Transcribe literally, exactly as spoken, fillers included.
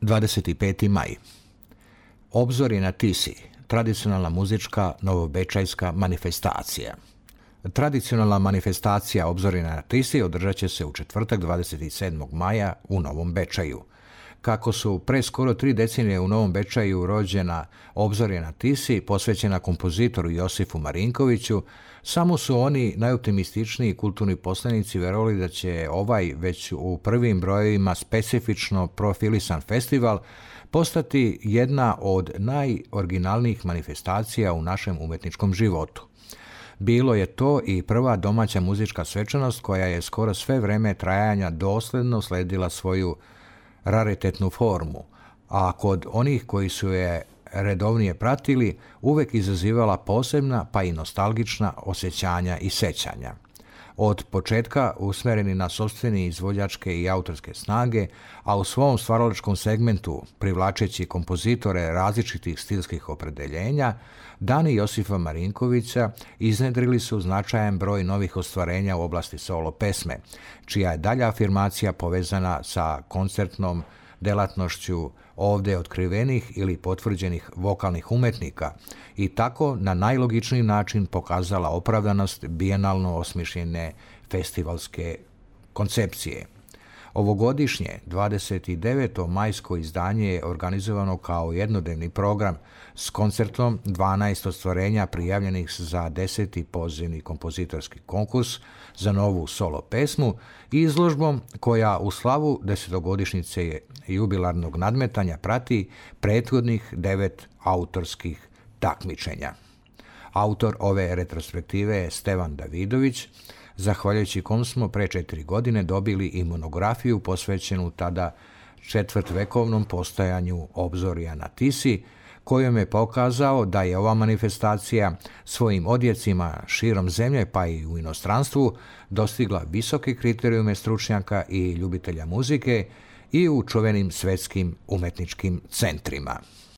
dvadeset peti maj. Obzorje na Tisi, tradicionalna muzička novobečajska manifestacija. Tradicionalna manifestacija Obzorje na Tisi održat će se u četvrtak dvadeset sedmog maja u Novom Bečaju. Kako su pre skoro tri decenije u Novom Bečaju rođena Obzorje na Tisi, posvećena kompozitoru Josifu Marinkoviću, samo su oni najoptimističniji kulturni poslanici verovali da će ovaj već u prvim brojevima specifično profilisan festival postati jedna od najoriginalnijih manifestacija u našem umetničkom životu. Bilo je to i prva domaća muzička svečanost koja je skoro sve vreme trajanja dosledno sledila svoju raritetnu formu, a kod onih koji su je redovnije pratili uvek izazivala posebna pa i nostalgična osjećanja i sećanja. Od početka usmereni na sopstvene izvođačke i autorske snage, a u svom stvaralačkom segmentu privlačeći kompozitore različitih stilskih opredeljenja, dani Josifa Marinkovića iznedrili su značajan broj novih ostvarenja u oblasti solo pesme, čija je dalja afirmacija povezana sa koncertnom delatnošću ovde otkrivenih ili potvrđenih vokalnih umetnika i tako na najlogičniji način pokazala opravdanost bijenalno osmišljene festivalske koncepcije. Ovogodišnje dvadeset deveto majsko izdanje je organizovano kao jednodnevni program s koncertom dvanaest ostvarenja prijavljenih za deseti pozivni kompozitorski konkurs za novu solo pesmu i izložbom koja u slavu desetogodišnjice jubilarnog nadmetanja prati prethodnih devet autorskih takmičenja. Autor ove retrospektive je Stevan Davidović, zahvaljujući kom smo pre četiri godine dobili i monografiju posvećenu tada četvrtvekovnom postojanju Obzorja na Tisi, kojom je pokazao da je ova manifestacija svojim odjecima širom zemlje pa i u inostranstvu dostigla visoke kriterijume stručnjaka i ljubitelja muzike i u čuvenim svetskim umetničkim centrima.